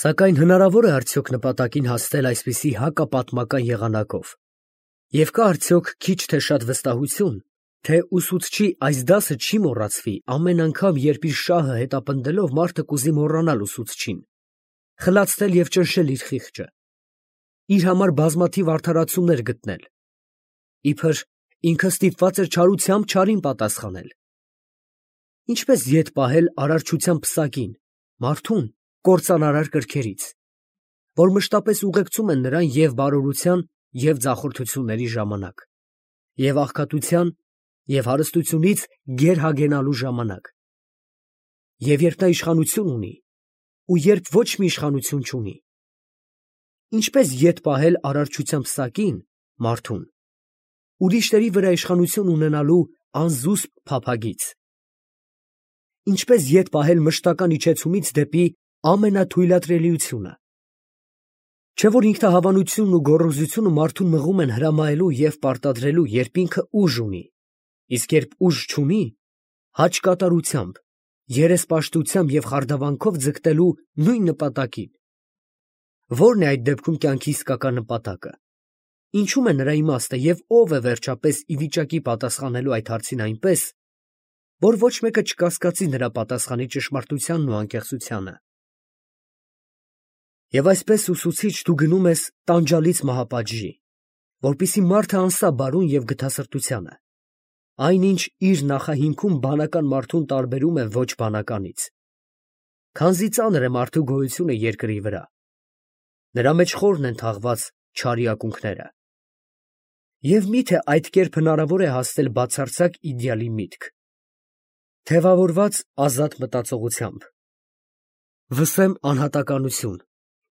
Սակայն հնարավոր է արդյոք նպատակին հասնել այսպիսի հակապատմական եղանակով, և կա արդյոք քիչ թե շատ վստահություն, թե ուսուցչի այս դասը չի մոռացվի ամեն անգամ, երբ իր շահը հետապնդելով մարդը կուզի մոռանալ ուսուցչին, խլացնել և ճնշել իր խիղճը, իր համար բազմաթիվ արդարացումներ գտնել, իբր ինքը ստիպված էր չարությամբ չարին պատասխանել։ Ինչպես ետ պահել արարչության պսակին, մարդուն կործանարար կրքերից, որ մշտապես ուղեկցում են նրան և բարօրության, և ձախորդությունների ժամանակ, և աղքատության, և հարստությունից գերհագենալու ժամանակ, և երբ նա իշխանություն ունի, ու երբ ոչ մի իշխանություն չունի։ Ինչպես ետ պահել արարչության պսակին, մարդուն, ուրիշների վրա իշխանություն ունենալու անզուսպ փափագից։ Ինչպես ետ պահել մշտական իջեցումից դեպի ամենաթույլատրելիությունը։ Չէ՞ որ ինքնահավանությունն ու գոռոզությունը մարդուն մղում են հրամայելու և պարտադրելու, երբ ինքը ուժ ունի, իսկ երբ ուժ չունի, հաճկատարությամբ, երեսպաշտությամբ և խարդավանքով ձգտելու նույն նպատակին։ Ո՞րն է այդ դեպքում կյանքի իսկական նպատակը, ինչու՞մ է նրա իմաստը և ո՞վ է վերջապես ի վիճակի պատասխանելու այդ հարցին այնպես, որ ոչ մեկը չկասկածի նրա պատասխանի ճշմարտությանն ու անկեղծությանը։ Եվ այսպես ուսուցիչ դու գնում ես տանջալից մահապատժի, որպեսզի մարդը անսա բարուն և գթասրտությանը, այնինչ իր նախահիմքում բանական մարդուն տարբերում է ոչ բանականից, քանզի ծանր է մարդու գոյությունը երկրի վրա, նրա մեջ խորն են թաղված չարի ակունքները։ Եվ մի՞թե այդ կերպ հնարավոր է հասնել բացարձակ իդեալի միտք, թևավորված ազատ մտածողությամբ։ Վսեմ անհատականություն,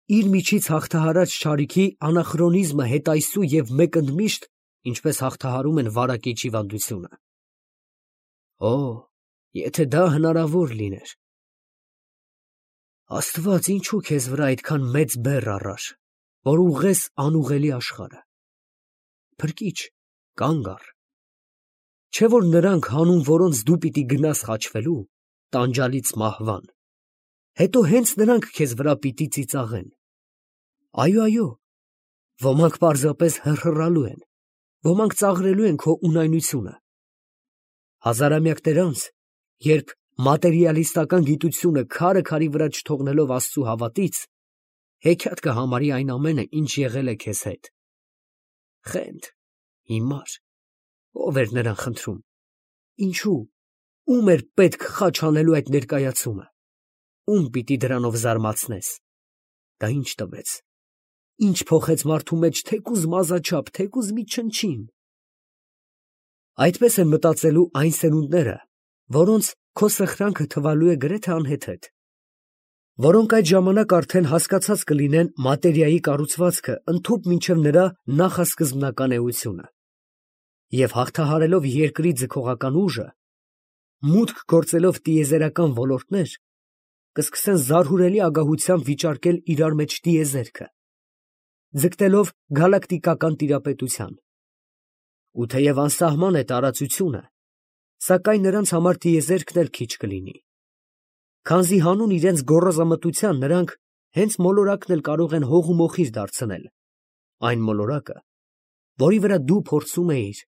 իր միջից հաղթահարած չարիքի անախրոնիզմը հետայսու և մեկընդմիշտ, ինչպես հաղթահարում են վարակիչ հիվանդությունը։ Օ, եթե դա հնարավոր լիներ։ Աստված, ինչու քեզ վրա այդքան մեծ բեռ առար, որ ուղղես անուղղելի աշխարհը։ Փրկիչ, կանգ առ։ Չէ՞ որ նրանք, հանուն որոնց դու պիտի գնաս խաչվելու, տանջալից մահվան, հետո հենց նրանք քեզ վրա պիտի ծիծաղեն։ Այո, ոմանք պարզապես հռհռալու են, ոմանք ծաղրելու են քո ունայնությունը։ Հազարամյակներ անց, երբ մատերիալիստական գիտությունը քարը քարի վրա չթողնելով Աստծու հավատից, հեքիաթ կհամարի այն ամենը, ինչ եղել է քեզ հետ։ Խենթ, հիմար, ո՞վ էր նրան խնդրում, ինչու, ո՞ւմ էր պետք խաչ անելու այդ ներկայացումը, ո՞ւմ պիտի դրանով զարմացնես։ Դա ինչ տվեց, ինչ փոխեց մարդու մեջ թեկուզ մազաչափ, թեկուզ մի չնչին։ Այդպես են մտածելու այն սերունդները, որոնց քո սխրանքը թվալու է գրեթե անհեթեթ, որոնք այդ ժամանակ արդեն հասկացած կլինեն մատերիայի կառուցվածքը ընդհուպ մինչև նրա նախասկզբնական էությունը, և հաղթահարելով երկրի ձգողական ուժը, մուտք գործելով տիեզերական ոլորտներ, կսկսեն զարհուրելի ագահությամբ վիճարկել իրար մեջ տիեզերքը, ձգտելով գալակտիկական տիրապետության։ Ու թեև անսահման է տարածությունը, սակայն նրանց համար տիեզերքն էլ քիչ կլինի, քանզի հանուն իրենց գոռոզամտության նրանք հենց մոլորակն էլ կարող են հող ու մոխիր դարձնել, այն մոլորակը, որի վրա դու փորձում էիր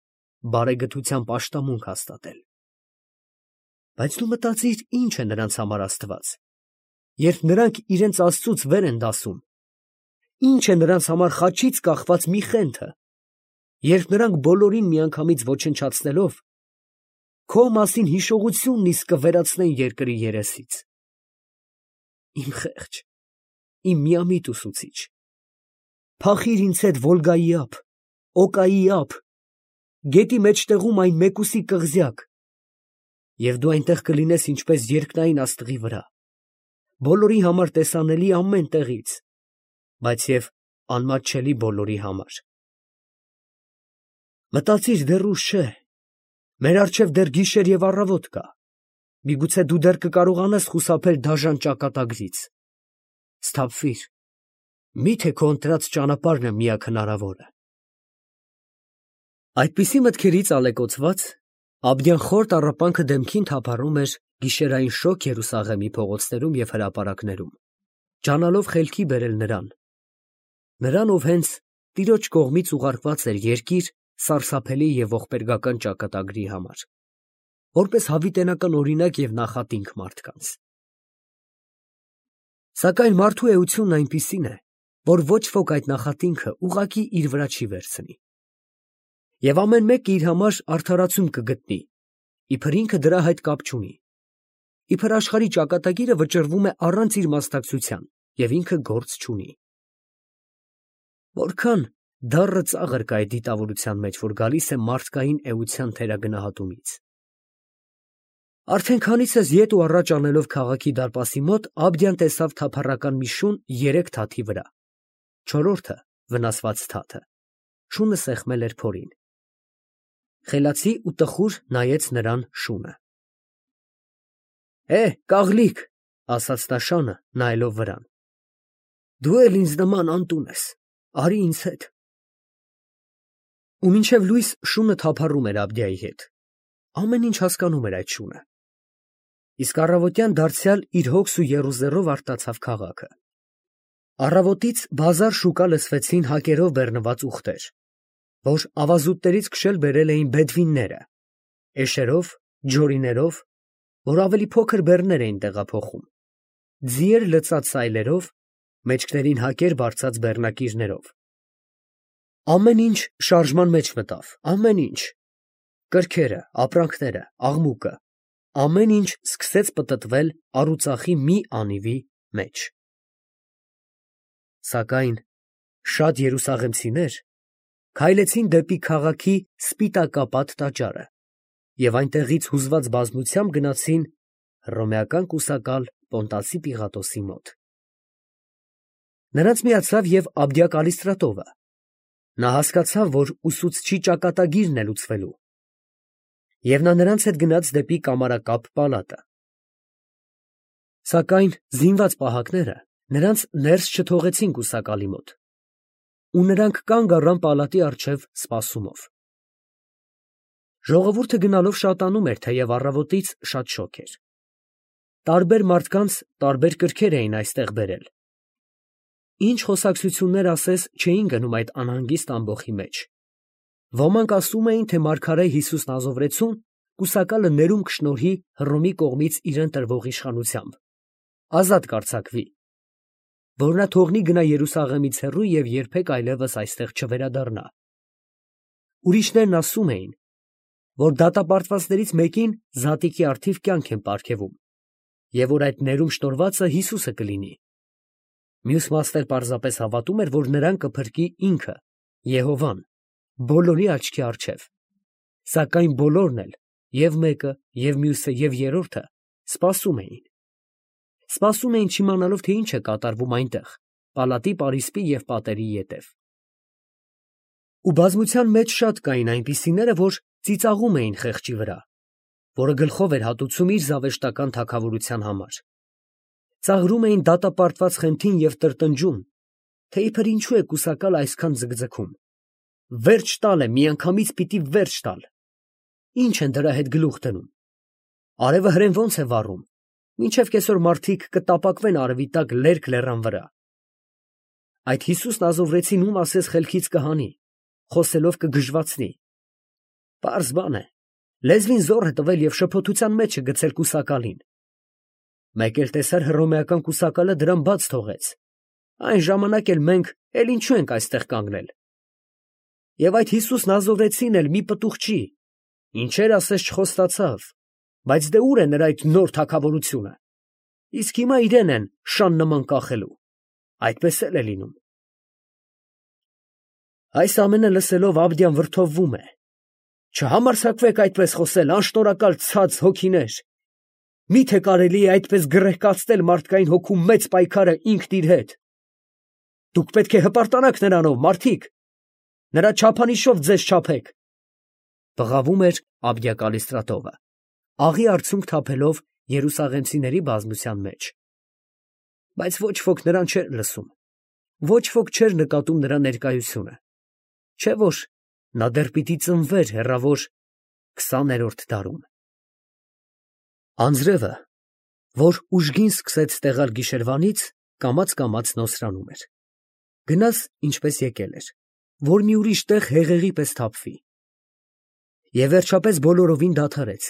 բարեգթության պաշտամունք հաստատել։ Բայց դու մտածիր, ինչ է նրանց համար Աստված, երբ նրանք իրենց Աստծուց վեր են դասում, ինչ է նրանց համար խաչից կախված մի խենթը, երբ նրանք բոլորին միանգամից ոչնչացնելով, քո մասին հիշողությունն իսկ կվերացնեն երկրի երեսից։ Իմ խեղճ, իմ միամիտ ուսուցիչ, փախիր ինձ հետ Վոլգայի ափ, Օկայի ափ, գետի մեջտեղում այն մեկուսի կղզյակ, և դու այնտեղ կլինես ինչպես երկնային աստղի վրա, բոլորի համար տեսանելի ամեն տեղից, բայց և անմատչելի բոլորի համար։ Մտածիր, դեռ ուշ չէ, մեր առջև դեռ գիշեր և առավոտ կա, միգուցե դու դեռ կկարողանաս խուսափել դաժան ճակատագրից։ Սթափվիր, մի՞թե քո ընտրած ճանապարհն է միակ հնարավորը։ Այդպիսի մտքերից ալեկոծված, Աբդյան խոր տառապանքը դեմքին թափառում էր գիշերային շոգ Երուսաղեմի փողոցներում և հրապարակներում, ջանալով խելքի բերել նրան, ով հենց տիրոջ կողմից ուղարկված էր երկիր սարսափելի և ողբերգական ճակատագրի համար, որպես հավիտենական օրինակ և նախատինք մարդկանց։ Սակայն մարդու էությունն այնպիսին է, որ ոչ ոք այդ նախատինքը ուղղակի իր վրա չի վերցնի։ Եվ ամեն մեկը իր համար արդարացում կգտնի, իբր ինքը դրա հետ կապ չունի, իբր աշխարհի ճակատագիրը վճռվում է առանց իր մասնակցության, և ինքը գործ չունի։ Որքան դառը ծաղր կա այդ դիտավորության մեջ, որ գալիս է մարդկային էության թերագնահատումից։ Արդեն քանիցս ետ ու առաջ անելով քաղաքի դարպասի մոտ, Աբդյան տեսավ թափառական մի շուն 3 թաթի վրա, չորրորդը վնասված թաթը, շունը սեղմել էր փորին։ Խելացի ու տխուր նայեց նրան շունը։ Կաղլիկ, ասաց նա շանը, նայելով վրան, դու էլ ինձ նման անտուն ես, արի ինձ հետ։ Ու մինչև լույս շունը թափառում էր Աբդյայի հետ, ամեն ինչ հասկանում էր այդ շունը։ Իսկ առավոտյան դարձյալ իր հոգս ու եռուզեռով արտացավ քաղաքը։ Առավոտից բազար շուկա լսվեցին հակերով բեռնված ուղտեր, որ ավազուտներից քշել բերել էին բեդվինները, էշերով, ջորիներով, որ ավելի փոքր բեռներ էին տեղափոխում, ձիեր լցած սայլերով, մեջքներին հակեր բարձած բեռնակիրներով։ Ամեն ինչ շարժման մեջ մտավ, ամեն ինչ, կրքերը, ապրանքները, աղմուկը, ամեն ինչ սկսեց պտտվել առուծախի մի անիվի մեջ։ Սակայն շատ երուսաղեմցիներ քայլեցին դեպի քաղաքի սպիտակապատ տաճարը և այնտեղից հուզված բազմությամբ գնացին հռոմեական կուսակալ Պոնտասի Պիղատոսի մոտ։ Նրանց միացավ և Աբդյա Կալիստրատովը։ Նա հասկացավ, որ ուսուցչի ճակատագիրն է լուծվելու, և նա նրանց հետ գնաց դեպի կամարակապ պալատը։ Սակայն զինված պահակները նրանց ներս չթողեցին կուսակալի մոտ, ու նրանք կանգ առան պալատի առջև սպասումով։ Ժողովուրդը գնալով շատանում էր, թեև առավոտից շատ շոգ էր։ Տարբեր մարդկանց տարբեր կրքեր էին այստեղ բերել։ Ինչ խոսակցություններ ասես չէին գնում այդ անհանգիստ ամբոխի մեջ։ Ոմանք ասում էին, թե մարգարե Հիսուս Նազովրեցուն կուսակալը ներում կշնորհի Հռոմի կողմից իրեն տրվող իշխանությամբ, ազատ կարձակվի, որ նա թողնի գնա Երուսաղեմից հեռու և երբեք այլևս այստեղ չվերադառնա։ Ուրիշներն ասում էին, որ դատապարտվածներից մեկին զատիկի առթիվ կյանք են պարգևում, և որ այդ ներում շնորհվածը Հիսուսը կլինի։ Մյուս մասն էլ պարզապես հավատում էր, որ նրան կփրկի ինքը, Եհովան, բոլորի աչքի առջև։ Սակայն բոլորն էլ, և մեկը, և մյուսը, և երրորդը, սպասում էին։ Սպասում էին չիմանալով, թե ինչ է կատարվում այնտեղ, պալատի պարիսպի և պատերի ետև։ Ու բազմության մեջ շատ կային այնպիսիները, որ ծիծաղում էին խեղճի վրա, որը գլխով էր հատուցում իր զավեշտական թագավորության համար։ Ծաղրում էին դատապարտված խենթին և տրտնջում, թե իբր ինչու է կուսակալը այսքան ձգձգում։ Վերջ տալ է, միանգամից պիտի վերջ տալ։ Ինչ են դրա հետ գլուխ դնում։ Արևը հրեն ոնց է վառում, մինչև կեսօր մարդիկ կտապակվեն արևի տակ լերկ լեռան վրա։ Այդ Հիսուսն Ազովրեցին ում ասես խելքից կհանի, խոսելով կգժվացնի։ Պարզ բան է, լեզվին զոռ է տվել և շփոթության մեջ է գցել կուսակալին։ Մեկ էլ տեսար հռոմեական կուսակալը դրան բաց թողեց։ Այն ժամանակ էլ մենք էլ ինչու ենք այստեղ կանգնել։ Եվ այդ Հիսուսն Ազովրեցին էլ մի պտուղ չի, ինչեր ասես չխոստացավ, բայց դե ուր է նրա այդ նոր թագավորությունը։ Իսկ հիմա իրեն են շան նման կախելու։ Այդպես էլ է լինում։ Այս ամենը լսելով Աբդյան վրդովվում է։ Չհամարձակվեք այդպես խոսել, անշնորհակալ ցած հոգիներ։ Մի՞թե կարելի է այդպես գռեհկացնել մարդկային հոգու մեծ պայքարը ինքն իր հետ։ Դուք պետք է հպարտանաք նրանով, մարդիկ, նրա չափանիշով ձեզ չափեք։ Բղավում էր Աբդյա Կալիստրատովը, աղի արցունք թափելով երուսաղեմցիների բազմության մեջ։ Բայց ոչ ոք նրան չէր լսում, ոչ ոք չէր նկատում նրա ներկայությունը, չէ՞ որ նա դեռ պիտի ծնվեր հեռավոր 20-րդ դարում։ Անձրևը, որ ուժգին սկսեց տեղալ գիշերվանից, կամաց նոսրանում էր։ Գնաս, ինչպես եկել էր, որ մի ուրիշ տեղ հեղեղի պես թափվի։ Եվ վերջապես բոլորովին դադարեց,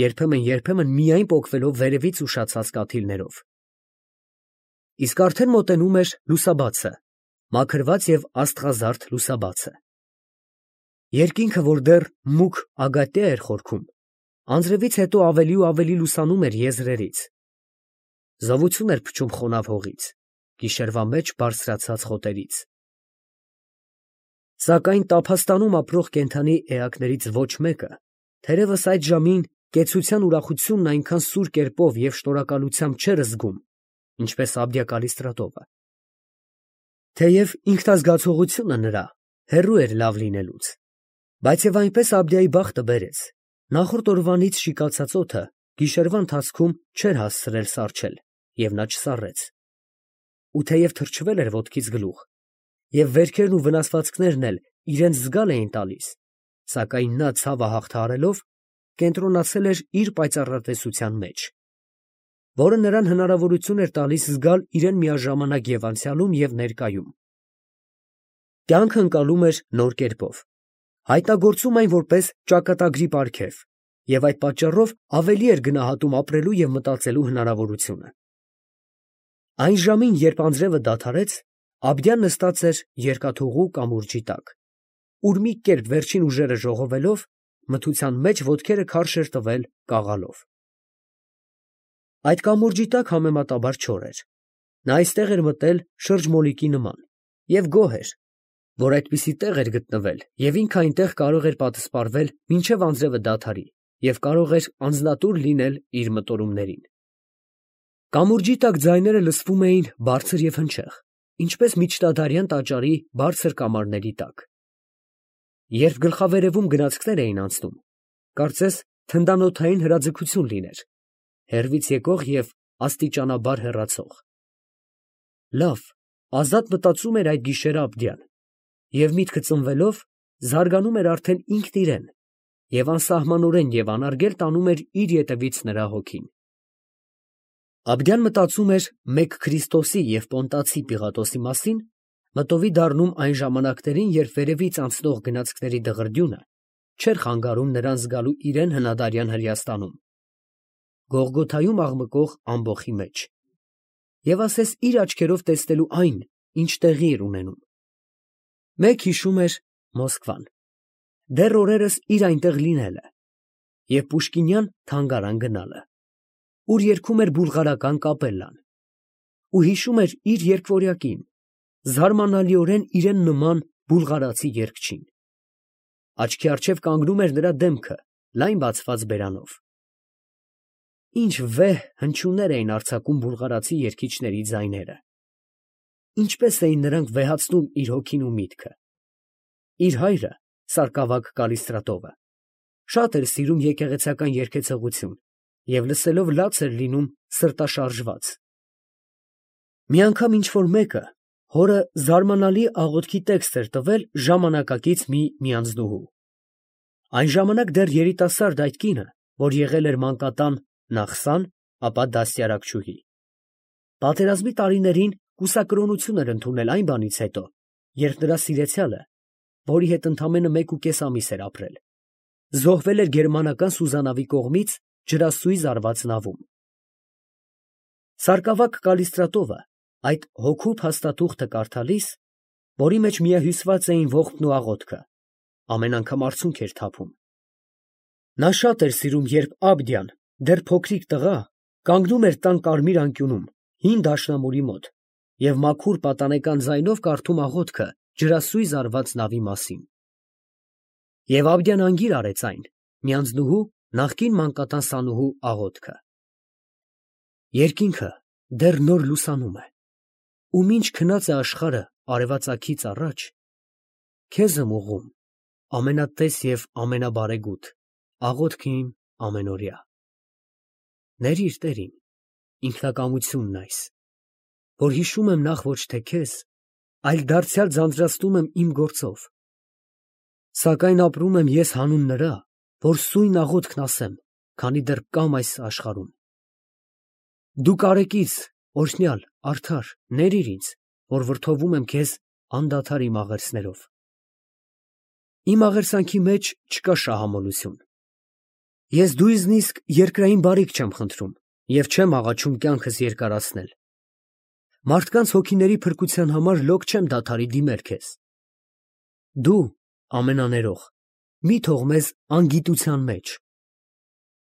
երբեմն միայն պոկվելով վերևից ուշացած կաթիլներով։ Իսկ արդեն մոտենում էր լուսաբացը, մաքրված և աստղազարդ լուսաբացը։ Երկինքը, որ դեռ մուգ ագատյա էր խորքում, անձրևից հետո ավելի ու ավելի լուսանում էր եզրերից։ Զովություն էր փչում խոնավ հողից, գիշերվա մեջ բարձրացած խոտերից։ Սակայն Տափաստանում ապրող կենդանի էակներից ոչ մեկը, թերևս այդ ժամին կեցության ուրախությունն այնքան սուր կերպով և շնորհակալությամբ չէր զգում, ինչպես Աբդյա Կալիստրատովը։ Թեև ինքնազգացողությունը նրա հեռու էր լավ լինելուց, բայց և այնպես Աբդյայի բախտը բերեց, նախորդ օրվանից շիկացած օդը գիշերվա ընթացքում չէր հասցրել սառչել, և նա չսառեց։ Ու թեև թրջվել էր ոտքից գլուխ, և վերքերն ու վնասվածքներն էլ իրենց զգալ էին տալիս, սակայն նա, ցավը հաղթահարելով, կենտրոնացել էր իր պայծառատեսության մեջ, որը նրան հնարավորություն էր տալիս զգալ իրեն միաժամանակ և անցյալում, և ներկայում։ Կյանքը ընկալում էր նոր կերպով, հայտնագործում այն որպես ճակատագրի պարգև, և այդ պատճառով ավելի էր գնահատում ապրելու և մտածելու հնարավորությունը։ Այն ժամին, երբ անձրևը դադարեց, Աբդյան նստած էր երկաթուղու կամուրջի տակ, ուր մի կերպ վերջին ուժերը ժողովելով, մթության մեջ ոտքերը քարշ էր տվել կաղալով։ Այդ կամուրջի տակ համեմատաբար չոր էր։ Նա այստեղ էր մտել շրջմոլիկի նման և գոհ էր, որ այդպիսի տեղ էր գտնվել և ինքը այնտեղ կարող էր պատսպարվել մինչև անձրևը դադարի և կարող էր անձնատուր լինել իր մտորումներին։ Կամուրջի տակ ձայները լսվում էին բարձր և հնչեղ, ինչպես միջնադարյան տաճարի բարձր կամարների տակ։ Երբ գլխավերևում գնացքներ էին անցնում, կարծես թնդանոթային հրաձգություն լիներ, հեռվից եկող և աստիճանաբար հեռացող։ Լավ, ազատ մտածում էր այդ գիշերը Աբդյան, և միտքը ծնվելով, զարգանում էր արդեն ինքն իրեն, և անսահմանորեն և անարգել տանում էր իր ետևից նրա հոգին։ Աբդյան մտածում էր մեկ Քրիստոսի և Պոնտացի Պիղատոսի մասին, մտովի դառնում այն ժամանակներին, երբ վերևից անցնող գնացքների դղրդյունը չէր խանգարում նրան զգալու իրեն հնադարյան Հրեաստանում, Գողգոթայում աղմկող ամբոխի մեջ, և ասես իր աչքերով տեսնելու այն, ինչ տեղի էր ունենում։ Մեկ հիշում էր Մոսկվան, դեռ օրերս իր այնտեղ լինելը և Պուշկինյան թանգարան գնալը, ուր երգում էր բուլղարական կապելլան, ու հիշում էր իր երգվորյակին, զարմանալիորեն իրեն նման բուլղարացի երգչին։ Աչքի առջև կանգնում էր նրա դեմքը լայն բացված բերանով։ Ինչ վեհ հնչյուններ էին արձակում բուլղարացի երգիչների ձայները։ Ինչպես էին նրանք վեհացնում իր հոգին ու միտքը։ Իր հայրը, Սարգսակ Կալիստրատովը, շատ էր սիրում եկեղեցական երգեցողություն և լսելով լաց էր լինում սրտաշարժված։ Մի անգամ ինչ֊որ մեկը հորը զարմանալի աղոթքի տեքստ էր տվել ժամանակակից մի միանձնուհու։ Այն ժամանակ դեռ երիտասարդ այդ կինը, որ եղել էր մանկատան նախ սան, ապա դաստիարակչուհի, պատերազմի տարիներին կուսակրոնություն էր ընդունել այն բանից հետո, երբ նրա սիրեցյալը, որի հետ ընդամենը 1.5 ամիս էր ապրել, զոհվել էր գերմանական Սուզանավի կողմից ջրասույզ արված նավում։ Սարգսակ Կալիստրատովը այդ հոգու փաստաթուղթը կարդալիս, որի մեջ միահյուսված էին ողբն ու աղոթքը, ամեն անգամ արցունք էր թափում։ Նա շատ էր սիրում, երբ Աբդյան, դեռ փոքրիկ տղա, կանգնում էր տան կարմիր անկյունում, հին դաշնամուրի մոտ և մաքուր պատանեկան ձայնով կարդում աղոթքը ջրասույզ արված նավի մասին։ Եվ Աբդյան անգիր արեց այն, միանձնուհու, նախկին մանկատան սանուհու աղոթքը. Երկինքը դեռ նոր լուսանում է, ու մինչ քնած է աշխարհը արևածագից առաջ, քեզ եմ ուղղում, ամենատես և ամենաբարեգութ, աղոթքը իմ ամենօրյա։ Ներիր, Տեր իմ, ինքնակամությունն այս, որ հիշում եմ նախ ոչ թե քեզ, այլ դարձյալ ձանձրացնում եմ իմ գործով, սակայն ապրում եմ ես հանուն նրա, որ սույն աղոթքն ասեմ, քանի դեռ կամ այս աշխարհում։ Դու կարեկից օրհնյալ, արդար, ներիր ինձ, որ վրդովում եմ քեզ անդադար իմ աղերսներով։ Իմ աղերսանքի մեջ չկա շահամոլություն։ Ես դույզնիսկ երկրային բարիք չեմ խնդրում և չեմ աղաչում կյանքս երկարացնել։ Մարդկանց հոգիների փրկության համար լոկ չեմ դադարի դիմել քեզ։ Դու, ամենաներող, մի թող մեզ անգիտության մեջ։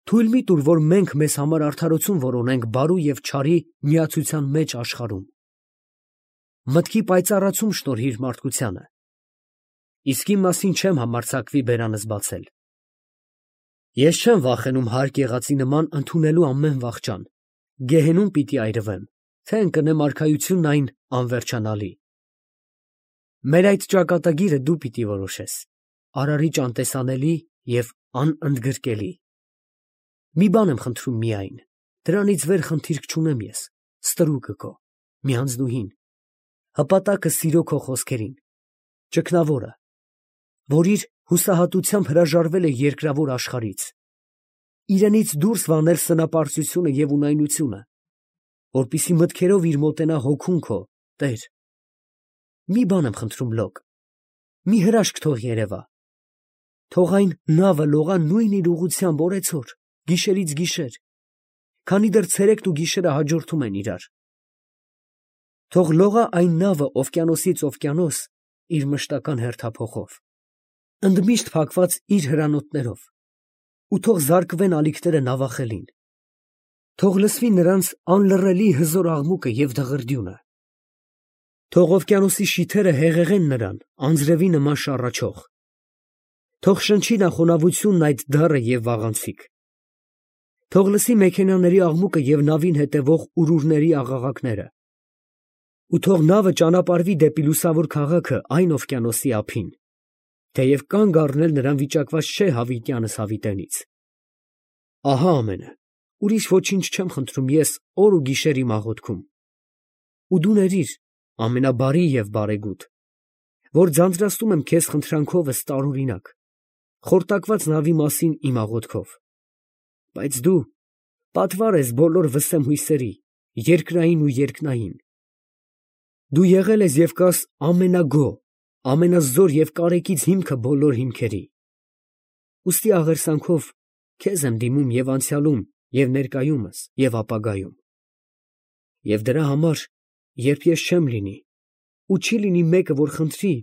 Թույլ մի տուր, որ մենք մեզ համար արդարություն որոնենք բարու և չարի միացության մեջ աշխարհում։ Մտքի պայծառացում շնորհիր մարդկությանը, իսկ իմ մասին չեմ համարձակվի բերանս բացել։ Ես չեմ վախենում հարկ եղածի նման ընդունելու ամեն վախճան, գեհենում պիտի այրվեմ, թե ընկնեմ արքայությունն այն անվերջանալի։ Մեր այդ ճակատագիրը դու պիտի որոշես, արարիչ անտեսանելի և անընդգրկելի։ Մի բան եմ խնդրում միայն, դրանից վեր խնդիրք չունեմ ես, ստրուկը քո, միանձնուհին, հպատակը սիրո քո խոսքերին, ճգնավորը, որ իր հուսահատությամբ հրաժարվել է երկրավոր աշխարհից, իրենից դուրս վանել սնապարծությունը և ունայնությունը, որպեսզի մտքերով իր մոտենա հոգուն քո, Տեր։ Մի բան եմ խնդրում լոկ, մի հրաշք թող երևա, թող այն նավը լողա նույն իր ուղղությամբ օրեցօր, գիշերից գիշեր, քանի դեռ ցերեկն ու գիշերը հաջորդում են իրար։ Թող լողա այն նավը օվկիանոսից օվկիանոս իր մշտական հերթափոխով, ընդմիշտ փակված իր հրանոթներով, ու թող զարկվեն ալիքները նավախելին, թող լսվի նրանց անլռելի հզոր աղմուկը և դղրդյունը, թող օվկիանոսի շիթերը հեղեղեն նրան անձրևի նման շառաչող, թող շնչի նա խոնավությունն այդ դառը և վաղանցիկ, թող լսի մեքենաների աղմուկը և նավին հետևող ուրուրների աղաղակները, ու թող նավը ճանապարհվի դեպի լուսավոր քաղաքը այն օվկիանոսի ափին, թեև կանգ առնել նրան վիճակված չէ հավիտյանս հավիտենից։ Ահա ամենը, ուրիշ ոչինչ չեմ խնդրում ես օր ու գիշեր իմ աղոթքում։ Ու դու ներիր, ամենաբարի և բարեգութ, որ ձանձրացնում եմ քեզ խնդրանքովս տարօրինակ, խորտակված նավի մասին իմ աղոթքով, բայց դու պատվար ես բոլոր վսեմ հույսերի, երկրային ու երկնային։ Դու եղել ես և կաս ամենագոհ, ամենազոր և կարեկից հիմքը բոլոր հիմքերի։ Ուստի աղերսանքով քեզ եմ դիմում և անցյալում, և ներկայումս, և ապագայում։ Եվ դրա համար, երբ ես չեմ լինի, ու չի լինի մեկը, որ խնդրի,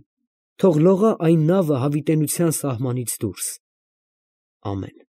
թող լողա այն նավը հավիտենության սահմանից դուրս։ Ամեն։